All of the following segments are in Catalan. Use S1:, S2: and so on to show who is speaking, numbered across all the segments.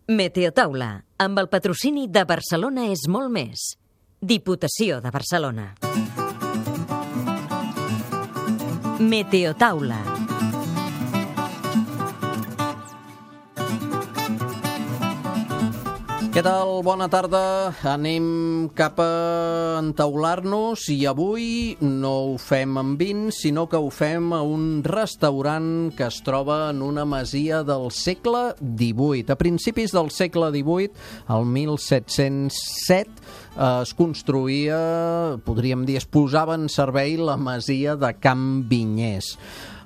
S1: Meteotaula, amb el patrocini de Barcelona és molt més. Diputació de Barcelona. Meteotaula.
S2: Què tal? Bona tarda. Anem cap a entaular-nos i avui no ho fem amb vins, sinó que ho fem a un restaurant que es troba en una masia del segle XVIII. A principis del segle XVIII, el 1707, es construïa, podríem dir, es posava en servei la masia de Can Vinyes.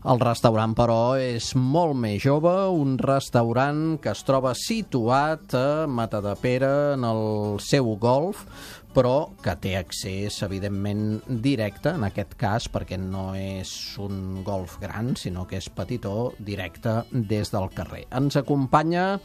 S2: El restaurant, però, és molt més jove, un restaurant que es troba situat a Matadepera, en el seu golf, però que té accés, evidentment, directe, en aquest cas, perquè no és un golf gran, sinó que és petitó, directe des del carrer. Ens acompanya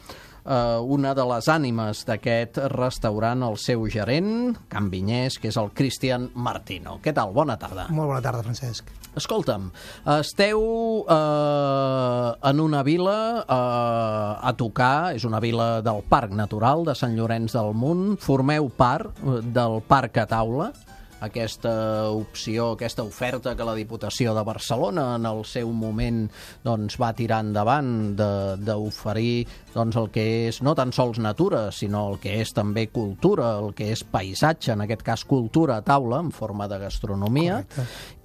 S2: una de les ànimes d'aquest restaurant, el seu gerent, Can Vinyes, que és el Cristian Martino. Què tal? Bona tarda.
S3: Molt bona tarda, Francesc.
S2: Escolta'm, esteu en una vila a tocar, és una vila del Parc Natural de Sant Llorenç del Munt, formeu part del Parc a Taula, aquesta opció, aquesta oferta que la Diputació de Barcelona en el seu moment doncs, va tirar endavant d'oferir doncs, el que és no tan sols natura, sinó el que és també cultura, el que és paisatge, en aquest cas cultura a taula, en forma de gastronomia.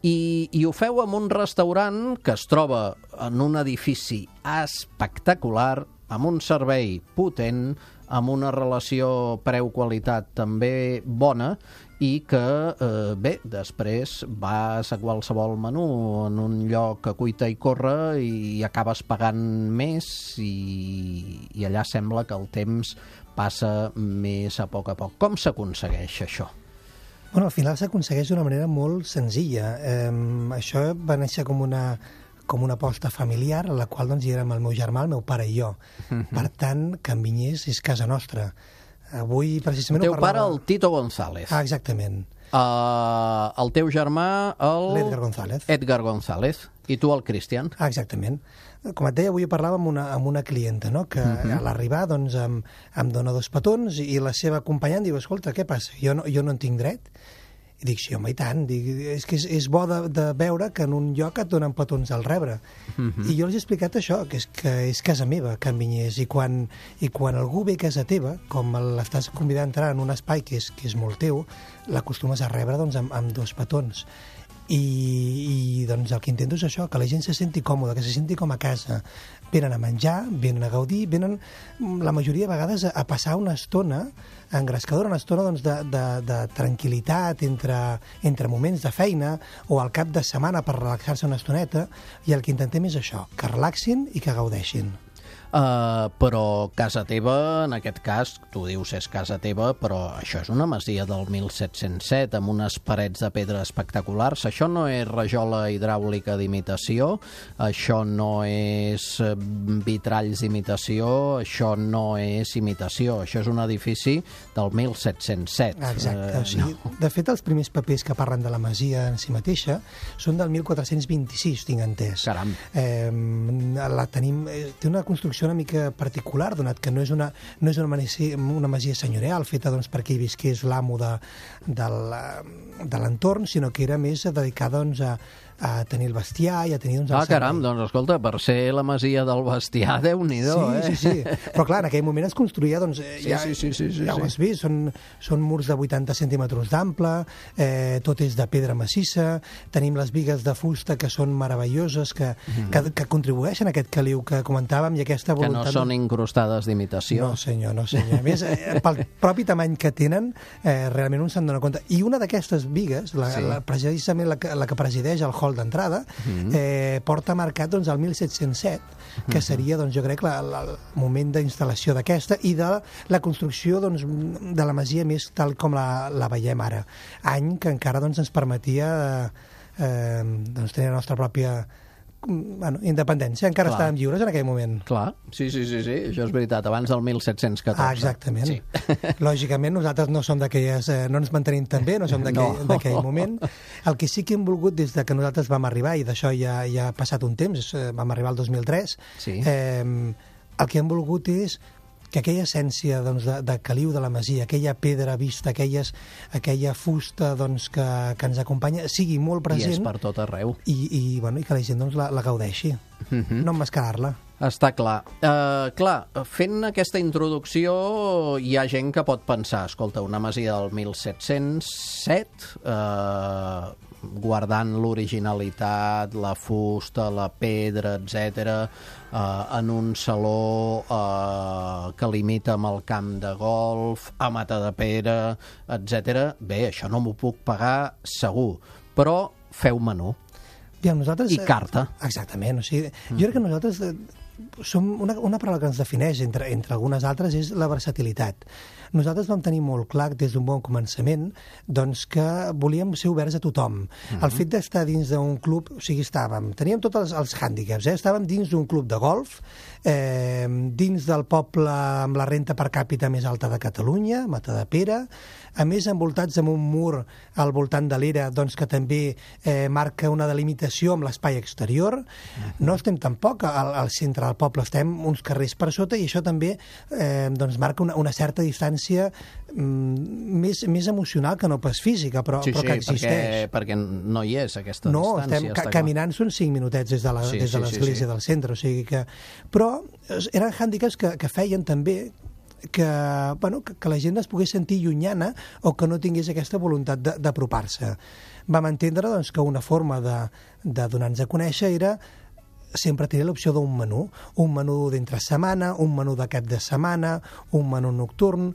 S2: I ho feu en un restaurant que es troba en un edifici espectacular, amb un servei potent, amb una relació preu-qualitat també bona i que, bé, després vas a qualsevol menú en un lloc a cuita i corre i acabes pagant més i allà sembla que el temps passa més a poc. Com s'aconsegueix això?
S3: Bueno, al final s'aconsegueix d'una manera molt senzilla. Això va néixer com una aposta familiar, a la qual doncs, hi érem el meu germà, el meu pare i jo. Per tant, Can Vinyes és casa nostra. Avui, precisament,
S2: el teu pare, el Tito González.
S3: Ah, exactament.
S2: El teu germà,
S3: l'Edgar González.
S2: Edgar González. I tu, el Cristian.
S3: Ah, exactament. Com et deia, avui parlava amb una clienta, no? Que a l'arribar doncs, em dona 2 petons i la seva acompanyant diu, escolta, què passa? Jo no en tinc dret? I dic, sí, home, i tant. Dic, és que és bo de veure que en un lloc et donen petons al rebre. I jo els he explicat això, que és casa meva, Can Vinyes, i quan algú ve a casa teva, com l'estàs convidant a entrar en un espai que és molt teu, l'acostumes a rebre doncs, amb 2 petons. I doncs el que intento és això, que la gent se senti còmoda, que se senti com a casa. Venen a menjar, venen a gaudir, venen la majoria de vegades a passar una estona engrescadora, una estona doncs, de tranquil·litat entre moments de feina o al cap de setmana per relaxar-se una estoneta, i el que intentem és això, que relaxin i que gaudeixin.
S2: Però casa teva, en aquest cas, tu dius és casa teva, però això és una masia del 1707 amb unes parets de pedra espectaculars. Això no és rajola hidràulica d'imitació, això no és vitralls d'imitació, això no és imitació, això és un edifici del 1707.
S3: Exacte, o sigui, no. De fet, els primers papers que parlen de la masia en si mateixa són del 1426, tinc entès.
S2: Caram.
S3: Té una construcció una mica particular, donat que no és una masia senyorial feta doncs, per qui visqués l'amo de l'entorn, sinó que era més dedicada doncs, a tenir el bestiar i a tenir... Doncs,
S2: caram, doncs escolta, per ser la masia del bestiar, Déu-n'hi-do,
S3: Sí. Però clar, en aquell moment es construïa, doncs, ja ho has vist, són murs de 80 centímetres d'ample, tot és de pedra massissa, tenim les bigues de fusta que són meravelloses, que contribueixen a aquest caliu que comentàvem i aquesta voluntat...
S2: Que no són incrustades d'imitació.
S3: No, senyor. A més, pel propi tamany que tenen, realment un se'n dona compte. I una d'aquestes bigues, precisament la que presideix el hall d'entrada, porta marcat doncs, el 1707, que seria, doncs, jo crec, el moment d'instal·lació d'aquesta i de la construcció doncs, de la masia més tal com la veiem ara. Any que encara doncs, ens permetia doncs, tenir la nostra pròpia independència. Encara estàvem lliures en aquell moment.
S2: Clar, sí, això és veritat, abans del 1714.
S3: Ah, exactament. Sí. Lògicament, nosaltres no som d'aquelles... no ens mantenim tan bé, no som d'aquell moment. El que sí que hem volgut des que nosaltres vam arribar, i d'això ja ha passat un temps, vam arribar al 2003, el que hem volgut és aquella essència doncs, de caliu de la masia, aquella pedra vista, aquella fusta doncs, que ens acompanya, sigui molt present.
S2: I és per tot arreu.
S3: I que la gent doncs, la gaudeixi, no emmascarar-la.
S2: Està clar. Clar, fent aquesta introducció hi ha gent que pot pensar, escolta, una masia del 1707, guardant l'originalitat, la fusta, la pedra, etc, en un saló que limita amb el camp de golf, a Matadepera, etc. Bé, això no m'ho puc pagar segur, però feu menú.
S3: Nosaltres,
S2: I carta.
S3: Exactament. O sigui, jo crec que nosaltres som una paraula que ens defineix, entre algunes altres, és la versatilitat. Nosaltres vam tenir molt clar des d'un bon començament doncs, que volíem ser oberts a tothom. El fet d'estar dins d'un club, o sigui, teníem tots els hàndicaps, estàvem dins d'un club de golf, dins del poble amb la renta per càpita més alta de Catalunya, Matadepera, a més envoltats amb un mur al voltant de l'era doncs, que també marca una delimitació amb l'espai exterior. No estem tampoc al centre del poble, estem uns carrers per sota i això també doncs, marca una certa distància més emocional que no pas física, però que existeix.
S2: Perquè no hi és aquesta
S3: distància. No, caminant són 5 minutets des de l'església del centre, o sigui que... Però eren hàndicaps que feien també que la gent es pogués sentir llunyana o que no tingués aquesta voluntat d'apropar-se. Vam entendre doncs, que una forma de donar-nos a conèixer era sempre tenir l'opció d'un menú d'entre setmana, un menú de cap de setmana, un menú nocturn,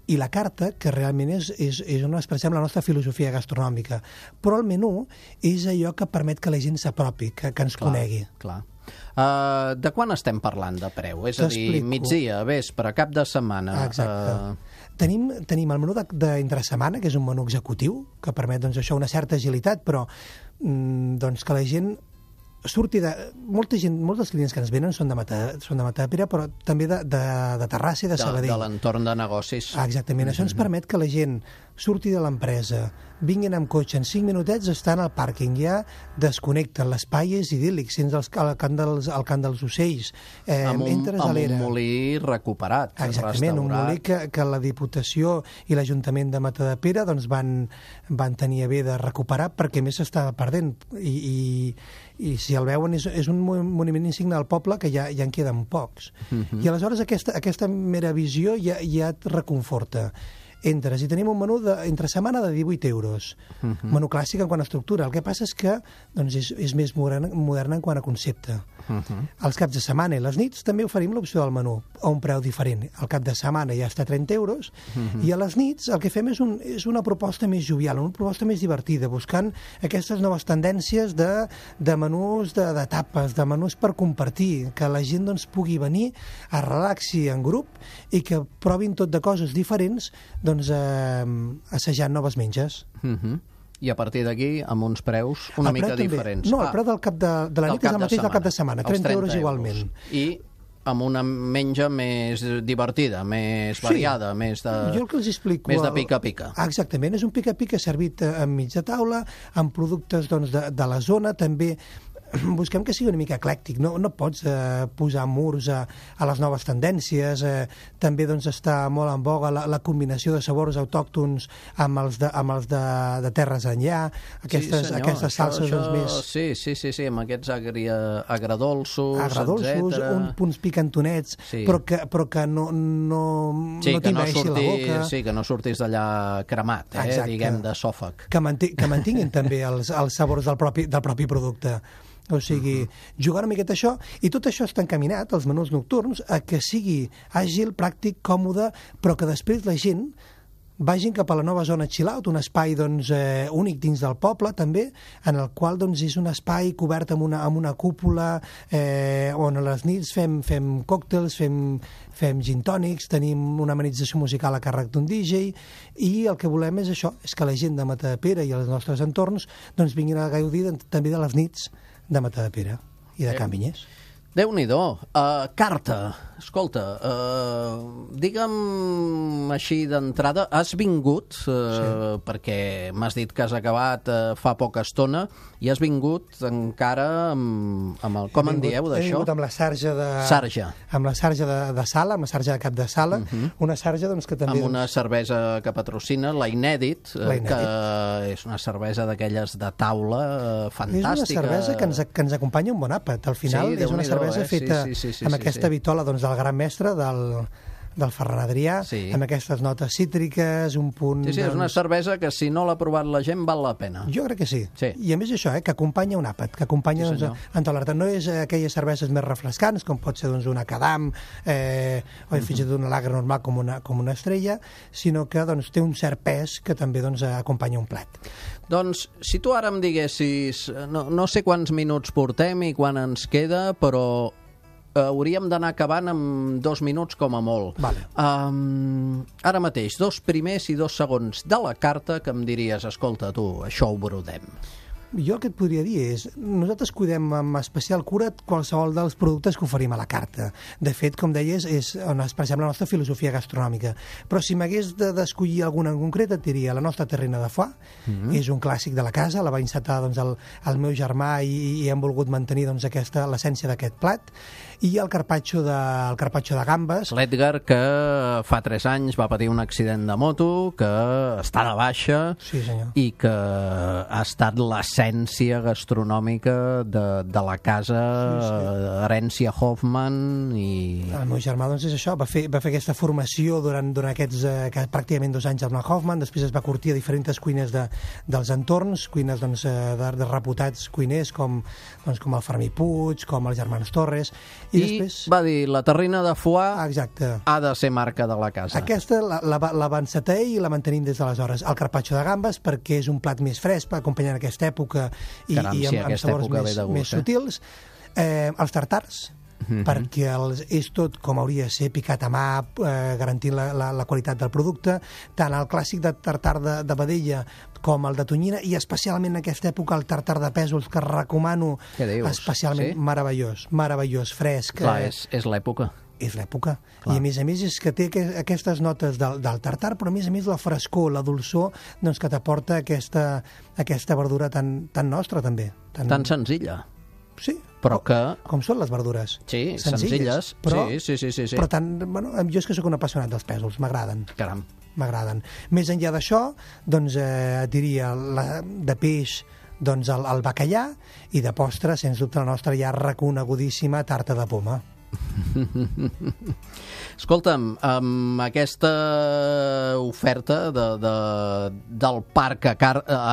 S3: i la carta, que realment és on expressem la nostra filosofia gastronòmica. Però el menú és allò que permet que la gent s'apropi, que ens conegui.
S2: Clar. De quan estem parlant de preu? És a dir, migdia, vespre, cap de setmana?
S3: Exacte. Tenim el menú d'entre setmana, que és un menú executiu, que permet doncs, això una certa agilitat, però doncs, que la gent surti de... Molts dels clients que ens venen són de Matadepera, però també de Terrassa i de Sabadell.
S2: De l'entorn de negocis.
S3: Exactament. Això ens permet que la gent surti de l'empresa, vinguin amb cotxe, en 5 minutets estan al pàrquing, ja desconnecten, l'espai és idíl·lic, sents el cant dels ocells, entres a l'era.
S2: Amb un molí recuperat,
S3: exactament, un molí que la Diputació i l'Ajuntament de Matadepera doncs, van tenir a bé de recuperar perquè més s'estava perdent i si el veuen és un monument insigne del poble que ja en queden pocs. I aleshores aquesta mera visió ja et reconforta. Entres i tenim un menú entre setmana de 18 euros. Menú clàssic en quant a estructura. El que passa és que doncs, és més modern en quant a concepte. Els caps de setmana i les nits també oferim l'opció del menú a un preu diferent. El cap de setmana ja està a 30 euros i a les nits el que fem és una proposta més jovial, una proposta més divertida, buscant aquestes noves tendències de menús de tapes, de menús per compartir, que la gent doncs, pugui venir a relaxi en grup i que provin tot de coses diferents doncs, assajant noves menges.
S2: I a partir d'aquí, amb uns preus una mica diferents.
S3: No, el preu del cap de la nit és el mateix del cap de setmana, 30 euros igualment.
S2: I amb una menja més divertida, més variada, més de...
S3: Jo el que els explico...
S2: Més de pica-pica.
S3: Exactament, és un pica-pica servit enmig de taula, amb productes doncs, de la zona, també... Busquem que sigui una mica eclèctic, no pots posar murs a les noves tendències, també doncs, està molt en boga la combinació de sabors autòctons amb els de terres enllà, aquestes salses doncs, més...
S2: Sí, amb aquests agradolços,
S3: etc. Punts picantonets, però que no t'invaeixi la boca.
S2: Sí, que no surtis d'allà cremat, diguem, de sòfag.
S3: Que mantinguin també els sabors del propi producte. O sigui, jugar una miqueta això, i tot això està encaminat, els menús nocturns, a que sigui àgil, pràctic, còmode, però que després la gent vagin cap a la nova zona chill out, un espai doncs, únic dins del poble també, en el qual doncs, és un espai cobert amb una cúpula on a les nits fem còctels, fem gin tònics, tenim una amenització musical a càrrec d'un DJ i el que volem és això, és que la gent de Matadepera i els nostres entorns doncs, vinguin a gaudir també de les nits de Matadepera i de Can Vinyes.
S2: Déu-n'hi-do. Carta, escolta, digue'm així d'entrada, has vingut, perquè m'has dit que has acabat fa poca estona, i has vingut encara amb el... Com en dieu, d'això?
S3: He vingut amb la sarja de...
S2: Sarja.
S3: Amb la sarja de sala, amb la sarja de cap de sala, una sarja doncs, que també...
S2: Amb una cervesa que patrocina, la Inèdit, que és una cervesa d'aquelles de taula fantàstica.
S3: És una cervesa que ens acompanya un bon àpat. Al final és una cervesa feta amb aquesta vitola doncs, del gran mestre, del Ferran Adrià, amb aquestes notes cítriques, un punt...
S2: Sí, és una cervesa que si no l'ha provat la gent val la pena.
S3: Jo crec que sí. I a més això, que acompanya un àpat, que acompanya en tot l'art. No és aquelles cerveses més refrescants, com pot ser una Cadam o fins i tot una lager normal com una Estrella, sinó que té un cert pes que també acompanya un plat.
S2: Doncs, si tu ara em diguessis, no sé quants minuts portem i quan ens queda, però hauríem d'anar acabant amb 2 minuts com a molt.
S3: Vale.
S2: Ara mateix, 2 primers i 2 segons de la carta que em diries, escolta, tu, això ho brodem.
S3: Jo el que et podria dir és, nosaltres cuidem amb especial cura qualsevol dels productes que oferim a la carta. De fet, com deies, és on expressem la nostra filosofia gastronòmica. Però si m'hagués d'escollir alguna en concret, et diria la nostra terrina de foie, és un clàssic de la casa, la va encetar el meu germà i hem volgut mantenir l'essència d'aquest plat, i el carpaccio de gambes.
S2: L'Edgar, que fa 3 anys va patir un accident de moto, que està de baixa, i que ha estat l'essència gastronòmica de la casa, herència Hoffman. El
S3: meu germà és això, va fer aquesta formació durant aquests pràcticament 2 anys amb la Hoffman, després es va curtir a diferents cuines dels entorns, cuines de reputats cuiners com el Fermí Puig, com els germans Torres.
S2: I després va dir, la terrina de foie ha de ser marca de la casa.
S3: Aquesta la va encetar ell i la mantenim des d'aleshores. El carpaccio de gambes, perquè és un plat més fresc, acompanyant aquesta època i amb sabors més sutils. Els tartars, perquè és tot com hauria de ser, picat a mà, garantint la qualitat del producte. Tant el clàssic de tartar de vedella com el de tonyina, i especialment en aquesta època el tartar de pèsols, que recomano especialment. Meravellós, fresc.
S2: Clar, és l'època.
S3: És l'època. I a més és que té aquestes notes del tartar, però a més la frescor, la dolçor, que t'aporta aquesta verdura tan nostra també.
S2: Tan senzilla.
S3: Sí,
S2: però
S3: com són les verdures.
S2: Sí, senzilles.
S3: Però,
S2: sí.
S3: Però jo és que sóc un apassionat dels pèsols, m'agraden.
S2: Caram.
S3: M'agraden. Més enllà d'això, et diria de peix, el bacallà, i de postre, sens dubte, la nostra ja reconegudíssima tarta de poma.
S2: Escolta'm, amb aquesta oferta del parc a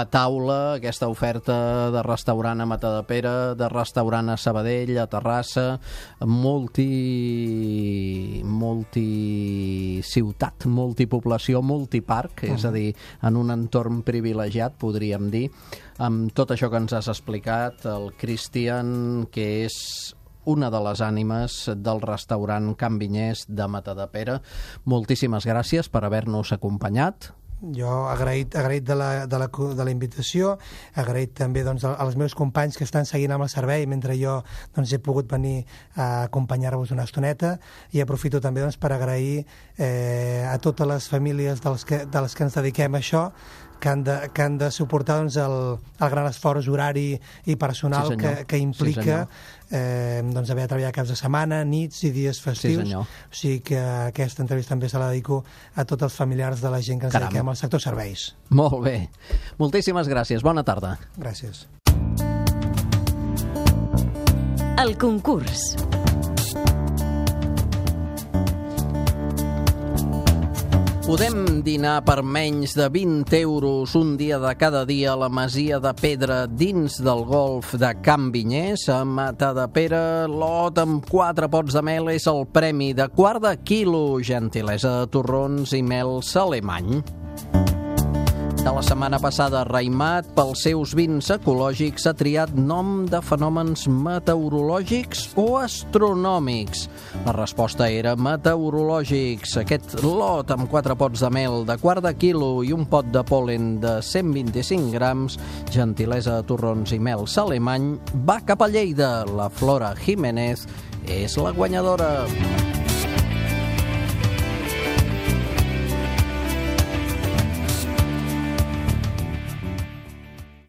S2: taula, aquesta oferta de restaurant a Matadepera, de restaurant a Sabadell, a Terrassa, multiciutat, multipoblació, multiparc, és a dir, en un entorn privilegiat, podríem dir, amb tot això que ens has explicat, el Cristian, que és una de les ànimes del restaurant Can Vinyes de Matadepera. Moltíssimes gràcies per haver-nos acompanyat.
S3: Jo agraït de la invitació, agraït també als meus companys que estan seguint amb el servei mentre jo he pogut venir a acompanyar-vos una estoneta, i aprofito també per agrair a totes les famílies de les que ens dediquem a això, que han de suportar el gran esforç horari i personal que implica haver de treballar caps de setmana, nits i dies festius. O sigui que aquesta entrevista també se la dedico a tots els familiars de la gent que ens dediquem al sector serveis.
S2: Molt bé. Moltíssimes gràcies. Bona tarda.
S3: Gràcies.
S1: El concurs.
S2: Podem dinar per menys de 20 euros un dia de cada dia a la Masia de Pedra dins del golf de Can Vinyes. A Matadepera, lot amb 4 pots de mel és el premi de quart de quilo, gentilesa de torrons i mel Salemany. De la setmana passada, Raimat, pels seus vins ecològics, ha triat nom de fenòmens meteorològics o astronòmics. La resposta era meteorològics. Aquest lot amb 4 pots de mel de quart de quilo i un pot de pol·len de 125 grams, gentilesa de torrons i mel Salemany, va cap a Lleida. La Flora Jiménez és la guanyadora.